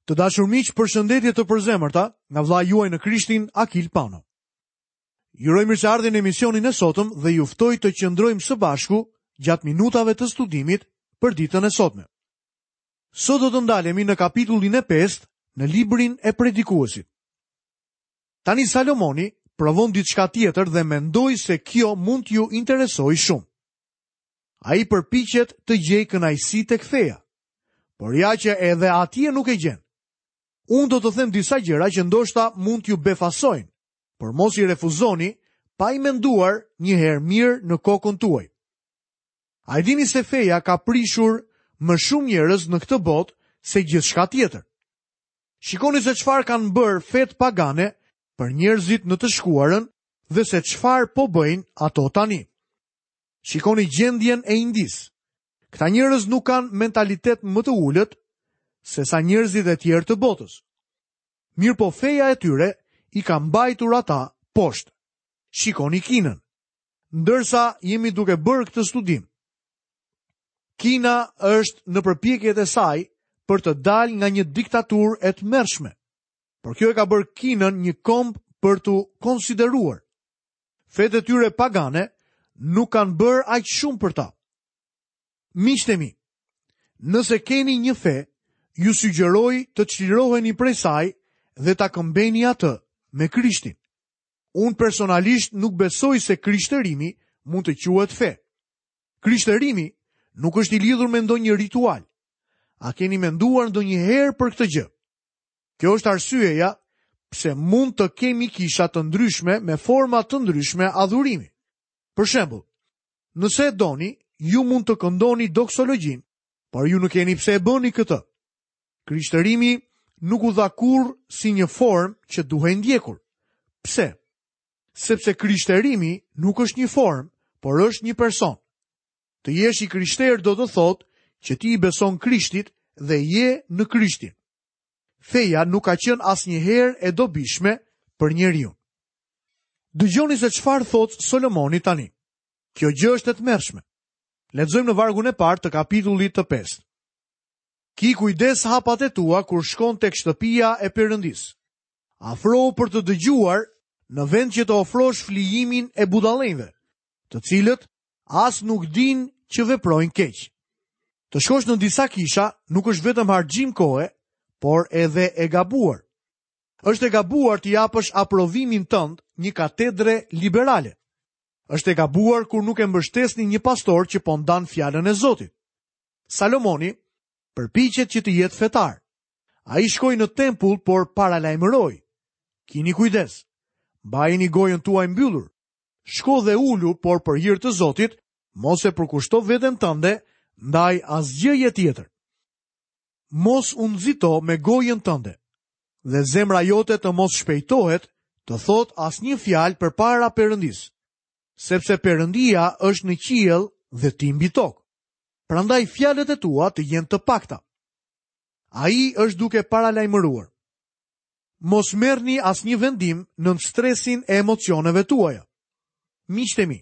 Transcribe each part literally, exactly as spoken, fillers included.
Të dashur miq, përshëndetje të përzemërta nga vëllai juaj në Krishtin, Akil Pano. Ju uroj mirëseardhje në emisionin e sotëm dhe ju ftoj të qëndrojmë së bashku gjatë minutave të studimit për ditën e sotme. Sot do të ndalemi në kapitullin e pestë në librin e Predikuesit. Tani Salomoni provon diçka tjetër dhe mendoj se kjo mund t'ju interesojë shumë. Ai përpiqet të gjejë kënaqësi tek feja, por ja që edhe atje nuk e gjen. Unë do të them disa gjëra që ndoshta mund t'ju befasojnë, por mos i refuzoni pa i menduar një herë mirë në kokën tuaj. A e dini se feja ka prishur më shumë njerëz në këtë botë se gjithçka tjetër? Shikoni se çfarë kanë bërë fetë pagane për njerëzit në të shkuarën dhe se çfarë po bëjnë ato tani. Shikoni gjendjen e Indisë. Këta njerëz nuk kanë mentalitet më të ulët se sa njerëzit e tjerë të botës. Mirë po feja e tyre i ka mbajtur ata poshtë. Shikoni Kinën. Ndërsa jemi duke bërë këtë studim, Kina është në përpjekjet e saj për të dalë nga një diktaturë e tmerrshme. Por kjo e ka bërë Kinën një komb për t'u konsideruar. Fetë e tyre pagane nuk kanë bërë aq shumë për ta. Miqtë e mi, nëse keni një fe, ju sugjeroj të çliroheni prej saj dhe ta këmbeni atë me Krishtin. Unë personalisht nuk besoj se krishtërimi mund të quhet fe. Krishtërimi nuk është i lidhur me ndonjë ritual. A keni menduar ndonjëherë për këtë gjë? Kjo është arsyeja pse mund të kemi kisha të ndryshme me forma të ndryshme adhurimi. Për shembull, nëse e doni, ju mund të këndoni doksologjinë, por ju nuk keni pse e bëni këtë. Krishtërimi nuk u dha kurrë si një formë që duhej ndjekur. Pse? Sepse krishtërimi nuk është një formë, por është një person. Të jesh i krishterë do të thotë që ti i beson Krishtit dhe je në Krishtin. Feja nuk ka qenë asnjëherë e dobishme për njeriun. Dëgjoni se çfarë thotë Solomoni tani. Kjo gjë është e tmerrshme. Lexojmë në vargun e parë të kapitullit të pestë. Ki kujdes hapat e tua kur shkon tek shtëpia e Perëndisë. Afrohu për të dëgjuar në vend që të ofrosh flijimin e budallenjve, të cilët as nuk dinë që veprojnë keq. Të shkosh në disa kisha nuk është vetëm harxhim kohe, por edhe e gabuar. Është e gabuar t'i japësh aprovimin tënd një katedre liberale. Është e gabuar kur nuk e mbështesni një pastor që po ndan fjalën e Zotit. Salomoni përpiqet që të jetë fetar. Ai shkoi në tempull, por paralajmëroi. Kini kujdes. Mbajeni gojën tuaj mbyllur. Shko dhe ulu, por për hir të Zotit, mos e përkushto veten tënde ndaj asgjëje tjetër. Mos u nxito me gojën tënde, dhe zemra jote të mos shpejtohet të thotë asnjë fjalë përpara Perëndisë, sepse Perëndia është në qiell dhe ti mbi tokë. Prandaj fjalët e tua të jenë të pakta. Ai është duke paralajmëruar. Mos merrni asnjë vendim nën stresin e emocioneve tuaja. Miqtë e mi,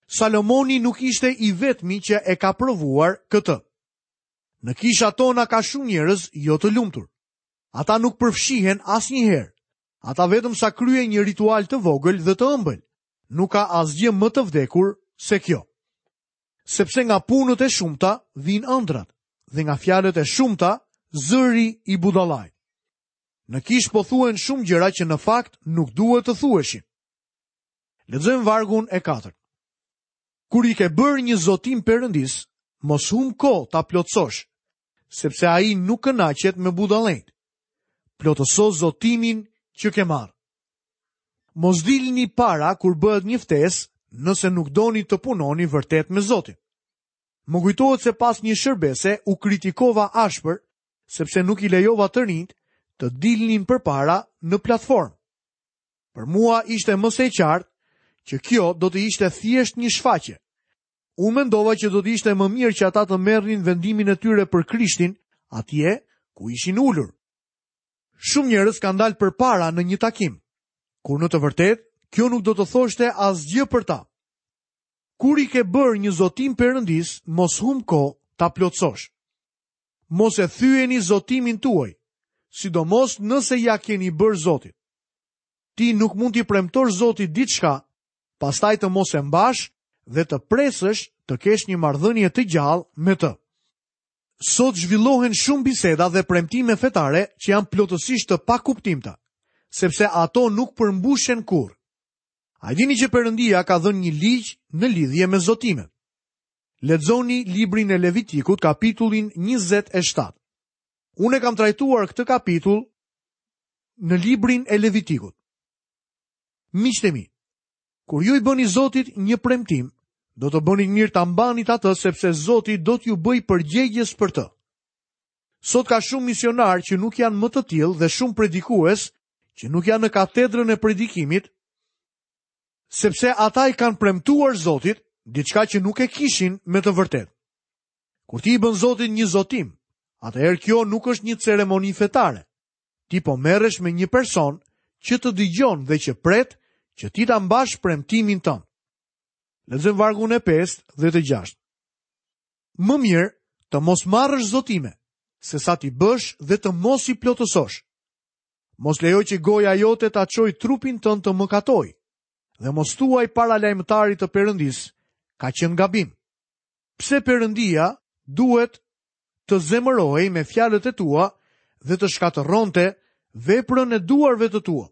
Salomoni nuk ishte i vetmi që e ka provuar këtë. Në kishat tona ka shumë njerëz jo të lumtur. Ata nuk përfshihen asnjëherë. Ata vetëm sa kryejnë një ritual të vogël dhe të ëmbël. Nuk ka asgjë më të vdekur se kjo. Sepse nga punët e shumta vijnë ëndrat dhe nga fjalët e shumta zëri i budallait. Në kish po thuen shumë gjëra që në fakt nuk duhet të thuheshin. Lexojmë vargun e katërt. Kur i ke bërë një zotim Perëndis, mos hum kohë ta plotësosh, sepse ai nuk kënaqet me budallenjt. Plotëso zotimin që ke marrë. Mos dilni para kur bëhet një ftesë, nëse nuk doni të punoni vërtet me Zotin. Më kujtohet se pas një shërbese u kritikova ashpër, sepse nuk i lejova të rinjt të dilnin përpara në platformë. Për mua ishte më se e qartë që kjo do të ishte thjesht një shfaqje. Unë mendova që do të ishte më mirë që ata të merrnin vendimin e tyre për Krishtin atje ku ishin ulur. Shumë njerëz kanë dalë përpara në një takim, kur në të vërtetë kjo nuk do të thoshte asgjë për ta. Kur i ke bërë një zotim Perëndis, mos hum kohë ta plotësosh. Mos e thyeni zotimin tuaj, sidomos nëse ia keni bërë Zotit. Ti nuk mund t'i premtosh Zotit diçka, pastaj të mos e mbash dhe të presësh të kesh një marrëdhënie të gjallë me të. Sot zhvillohen shumë biseda dhe premtime fetare që janë plotësisht të pakuptimta, sepse ato nuk përmbushen kurrë. A e dini që Perëndia ka dhënë një ligj në lidhje me zotimet? Lexoni librin e Levitikut, kapitullin njëzet e shtatë. Unë e kam trajtuar këtë kapitull në librin e Levitikut. Miqtë e mi, kur ju i bëni Zotit një premtim, do të bëni mirë ta mbanit atë, sepse Zoti do t'ju bëjë përgjegjës për të. Sot ka shumë misionar që nuk janë më të tillë dhe shumë predikues që nuk janë në katedrën e predikimit, sepse ata i kanë premtuar Zotit diçka që nuk e kishin me të vërtetë. Kur ti i bën Zotit një zotim, atëherë kjo nuk është një ceremoni fetare. Ti po merresh me një person që të dëgjon dhe që pret që ti ta mbash premtimin tënd. Lexojmë vargun e pestë dhe të gjashtë. Më mirë të mos marrësh zotime, se sa t'i bësh dhe të mos i plotësosh. Mos lejoj që goja jote ta çojë trupin tënd të mëkatojë, dhe mos thuaj para lajmëtarit të Perëndisë, ka qenë gabim. Pse Perëndia duhet të zemërohej me fjalët e tua dhe të shkatërronte veprën e duarve të tua?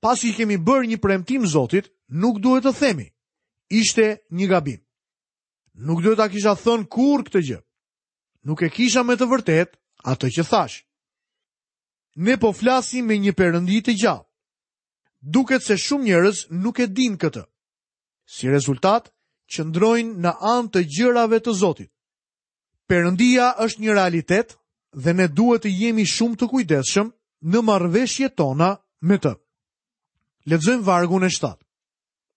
Pasi i kemi bërë një premtim Zotit, nuk duhet të themi, ishte një gabim. Nuk duhet ta kisha thënë kurrë këtë gjë. Nuk e kisha me të vërtetë atë që thash. Ne po flasim me një Perëndi të gjallë. Duket se shumë njerëz nuk e dinë këtë. Si rezultat, qëndrojnë në anë të gjërave të Zotit. Perëndia është një realitet dhe ne duhet të jemi shumë të kujdesshëm në marrëveshjet tona me të. Lexojmë vargun e shtatë.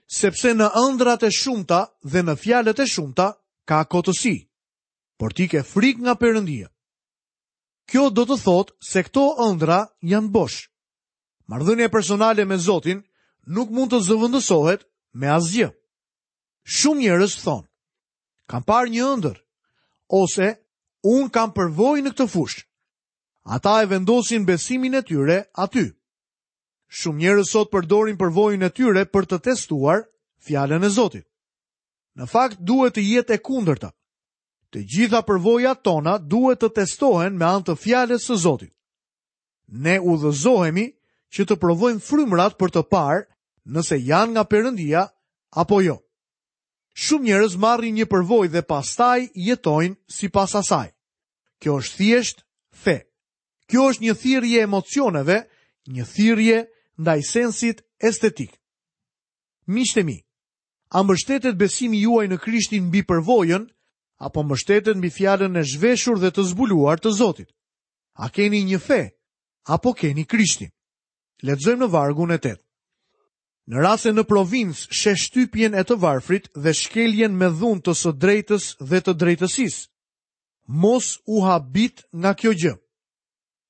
Sepse në ëndrat e shumta dhe në fjalët e shumta ka kotësi, por ti ke frikë nga Perëndia. Kjo do të thotë se këto ëndra janë bosh. Marrëdhënia personale me Zotin nuk mund të zëvendësohet me asgjë. Shumë njerëz thonë, kam parë një ëndër, ose unë kam përvojë në këtë fushë. Ata e vendosin besimin e tyre aty. Shumë njerëz sot përdorin përvojën e tyre për të testuar fjalën e Zotit. Në fakt duhet të jetë e kundërta. Të gjitha përvojat tona duhet të testohen me anë të fjalës së Zotit. Ne udhëzohemi që të provojmë frymrat për të parë nëse janë nga Perëndia apo jo. Shumë njerëz marrin një përvojë dhe pastaj jetojnë sipas asaj. Kjo është thjesht fe. Kjo është një thirrje e emocioneve, një thirrje ndaj sensit estetik. Miqtë e mi, a mbështetet besimi juaj në Krishtin mbi përvojën apo mbështetet mbi fjalën e zhveshur dhe të zbuluar të Zotit? A keni një fe apo keni Krishtin? Lexojmë në vargun e tetë. Në rast se në provincë sheh shtypjen e të varfrit dhe shkeljen me dhunë të së drejtës dhe të drejtësisë, mos u habit nga kjo gjë,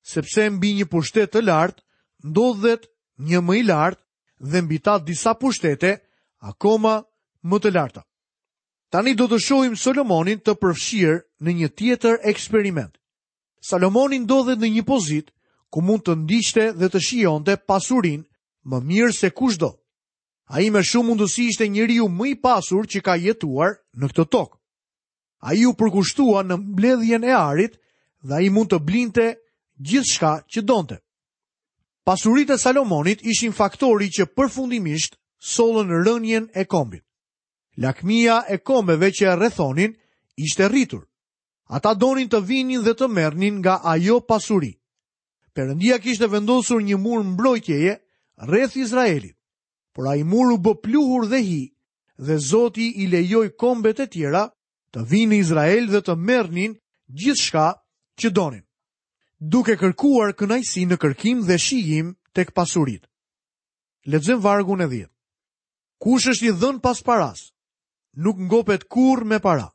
sepse mbi një pushtet të lartë ndodhet një më i lartë dhe mbi ta disa pushtete akoma më të larta. Tani do të shohim Solomonin të përfshirë në një tjetër eksperiment. Salomoni ndodhet në një pozitë ku mund të ndiqte dhe të shijonte pasurinë më mirë se kushdo. Ai me shumë mundësi ishte njeriu më i pasur që ka jetuar në këtë tokë. Ai u përkushtua në mbledhjen e arit dhe ai mund të blinte gjithçka që donte. Pasuritë e Salomonit ishin faktori që përfundimisht sollën rënien e kombit. Lakmia e kombeve që e rrethonin ishte rritur. Ata donin të vinin dhe të merrnin nga ajo pasuri. Perëndia kishte vendosur një mur mbrojtjeje rreth Izraelit, por ai mur u bë pluhur dhe hi, dhe Zoti i lejoi kombet e tjera të vinë në Izrael dhe të merrnin gjithçka që donin, duke kërkuar kënaqësi në kërkim dhe shijim tek pasuritë. Lexojmë vargun e dhjetë. Kush është i dhënë pas paras, nuk ngopet kurrë me para.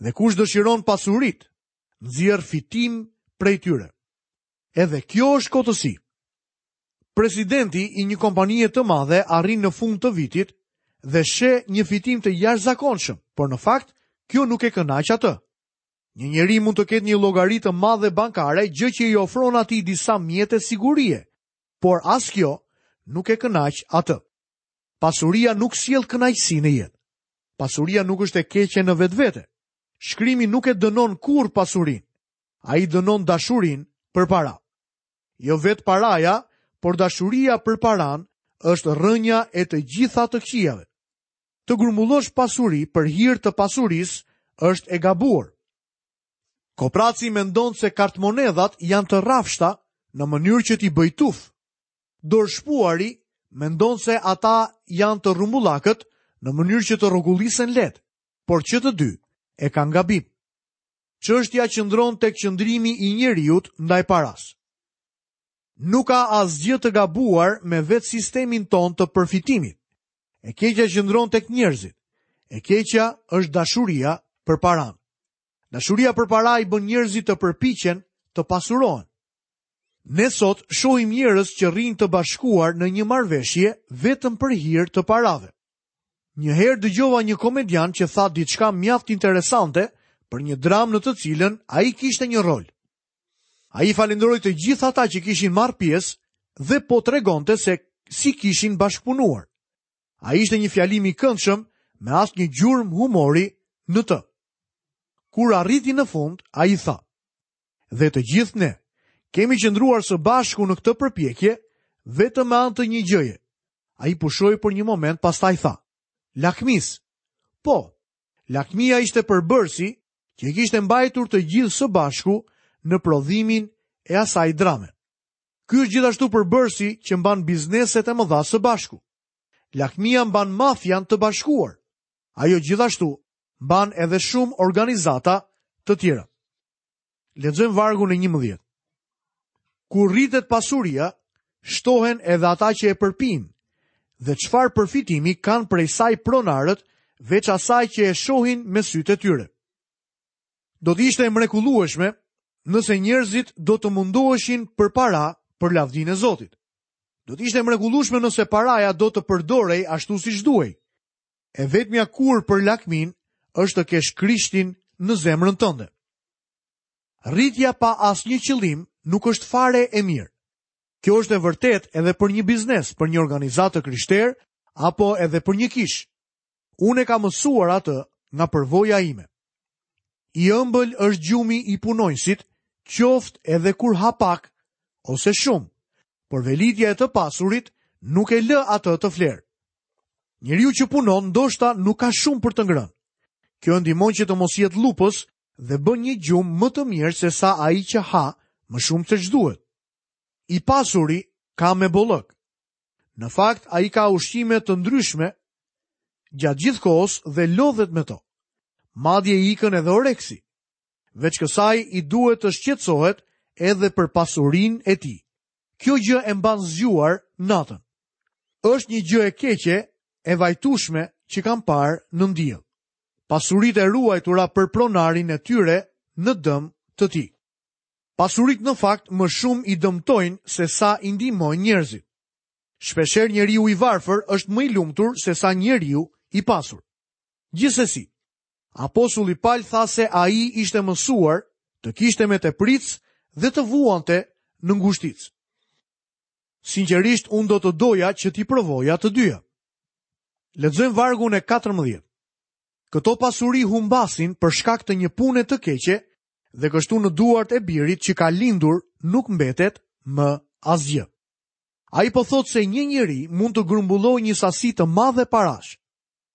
Dhe kush dëshiron pasurit, nxjerr fitim prej tyre. Edhe kjo është kotësi. Presidenti i një kompanie të madhe arrin në fund të vitit dhe sheh një fitim të jashtëzakonshëm, por në fakt kjo nuk e kënaq atë. Një njeri mund të ketë një llogari të madhe bankare, gjë që i ofron atij disa mjete sigurie, por as kjo nuk e kënaq atë. Pasuria nuk sjell kënaqësi në jetë. Pasuria nuk është e keqe në vetvete. Shkrimi nuk e dënon kurrë pasurinë. Ai dënon dashurinë për para. Jo vetë paraja, por dashuria për paran është rrënja e të gjitha të këqijave. Të grumbullosh pasuri për hir të pasurisë është e gabuar. Kopraci mendon se kartmonedhat janë të rrafshta në mënyrë që t'i bëj tuf. Dorëshpuari mendon se ata janë të rrumbullakët në mënyrë që të rrokullisen lehtë, por që të dy e kanë gabim. Çështja qëndron tek qëndrimi i njeriut ndaj paras. Nuk ka asgjë të gabuar me vetë sistemin ton të përfitimit. E keqja qëndron tek njerëzit. E keqja është dashuria për paran. Dashuria për para i bën njerëzit të përpiqen të pasurohen. Ne sot shohim njerëz që rrinë të bashkuar në një marrëveshje vetëm për hir të parave. Një herë dëgjova një komedian që tha diçka mjaft interesante për një dramë në të cilën ai kishte një rol. Ai falenderoi të gjithë ata që kishin marrë pjesë dhe po tregonte se si kishin bashkëpunuar. Ai ishte një fjalim i këndshëm me asnjë gjurmë humori në të. Kur arriti në fund, ai tha: "Dhe të gjithë ne kemi qëndruar së bashku në këtë përpjekje vetëm me anë të një gjëje." Ai pushoi për një moment, pastaj tha: "Lakmis." Po, lakmia ishte përbërësi që i kishte mbajtur të gjithë së bashku në prodhimin e asaj drame. Ky është gjithashtu përbërësi që mban bizneset e mëdha së bashku. Lakmia mban mafian të bashkuar. Ajo gjithashtu mban edhe shumë organizata të tjera. Lexojmë vargun e njëmbëdhjetë. Kur rritet pasuria, shtohen edhe ata që e përpin, dhe çfarë përfitimi kanë prej saj pronarët, veç asaj që e shohin me sytë e tyre. Do të ishte e mrekullueshme nëse njerëzit do të mundoheshin për para për lavdinë e Zotit. Do të ishte e mrekullueshme nëse paraja do të përdorej ashtu siç duhej. E vetmja kurë për lakmin është të kesh Krishtin në zemrën tënde. Rritja pa asnjë qëllim nuk është fare e mirë. Kjo është e vërtetë edhe për një biznes, për një organizatë të krishterë apo edhe për një kishë. Unë e kam mësuar atë nga përvoja ime. I ëmbël është gjumi i punonjësit, qoftë edhe kur ha pak ose shumë, por velitja e të pasurit nuk e lë atë të flerë. Njeriu që punon ndoshta nuk ka shumë për të ngrënë. Kjo ndihmon që të mos jetë lupës dhe bën një gjumë më të mirë se sa ai që ha më shumë se ç'duhet. I pasuri ka me bollëk. Në fakt, ai ka ushqime të ndryshme gjatë gjithë kohës dhe lodhet me to. Madje i ikën edhe oreksi. Veç kësaj i duhet të shqetësohet edhe për pasurinë e tij. Kjo gjë e mban zgjuar natën. Është një gjë e keqe, e vajtueshme që kam parë në diell. Pasuritë e ruajtura për pronarin e tyre në dëm të tij. Pasuritë në fakt më shumë i dëmtojnë se sa i ndihmojnë njerëzit. Shpeshherë njeriu i varfër është më i lumtur se sa njeriu i pasur. Gjithsesi, apostulli Paul tha se ai ishte mësuar të kishte me tepricë dhe të vuante në ngushticë. Sinqerisht, unë do të doja që t'i provoja të dyja. Lexojmë vargun e katërmbëdhjetë. Këto pasuri humbasin për shkak të një pune të keqe dhe kështu në duart e birit që ka lindur nuk mbetet më asgjë. Ai po thotë se një njeri mund të grumbullojë një sasi të madhe parash,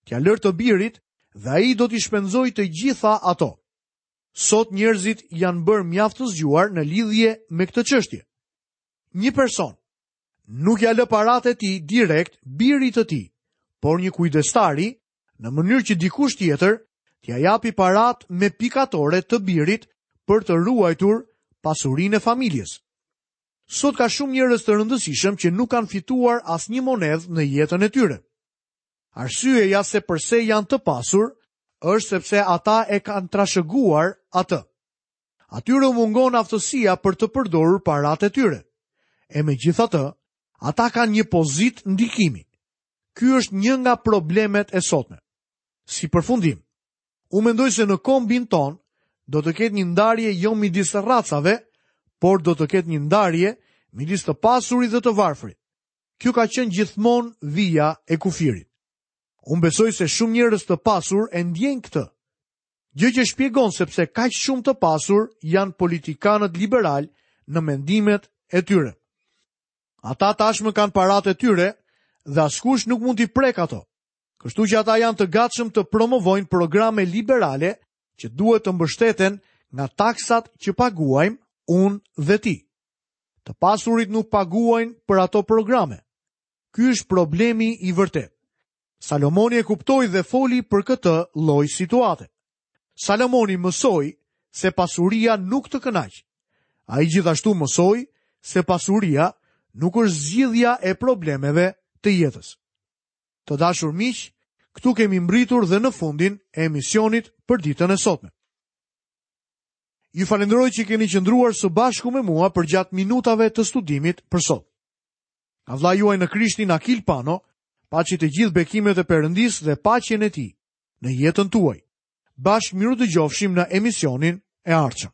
t'ia lërë të birit dhe ai do t'i shpenzojë të gjitha ato. Sot njerëzit janë bërë mjaft të zgjuar në lidhje me këtë çështje. Një person nuk ja lë paratë e tij direkt birit të tij, por një kujdestari, në mënyrë që dikush tjetër t'ia japi paratë me pikatore të birit për të ruajtur pasurinë e familjes. Sot ka shumë njerëz të rëndësishëm që nuk kanë fituar asnjë monedhë në jetën e tyre. Arsyeja se përse janë të pasur është sepse ata e kanë trashëguar atë. Atyre u mungon aftësia për të përdorur paratë e tyre. E megjithatë, ata kanë një pozitë ndikimi. Ky është një nga problemet e sotme. Si përfundim, unë mendoj se në kombin ton do të ketë një ndarje jo midis racave, por do të ketë një ndarje midis të pasurit dhe të varfrit. Kjo ka qenë gjithmonë vija e kufirit. Unë besoj se shumë njerëz të pasur e ndjejnë këtë. Gjë që shpjegon sepse kaq shumë të pasur janë politikanët liberal në mendimet e tyre. Ata tashmë kanë paratë e tyre dhe askush nuk mund t'i prek ato. Kështu që ata janë të gatshëm të promovojnë programe liberale që duhet të mbështeten nga taksat që paguajmë unë dhe ti. Të pasurit nuk paguajnë për ato programe. Ky është problemi i vërtetë. Salomoni e kuptoi dhe foli për këtë lloj situate. Salomoni mësoi se pasuria nuk të kënaq. Ai gjithashtu mësoi se pasuria nuk është zgjidhja e problemeve të jetës. Të dashur miq, këtu kemi mbritur dhe në fundin e emisionit për ditën e sotme. Ju falenderoj që keni qëndruar së bashku me mua përgjatë minutave të studimit për sot. Nga vëllai juaj në Krishtin Akil Pano, paçi të gjithë bekimet e Perëndisë dhe paqen e Tij në jetën tuaj. Bashkë mirudëgjofshim në emisionin e ardhshëm.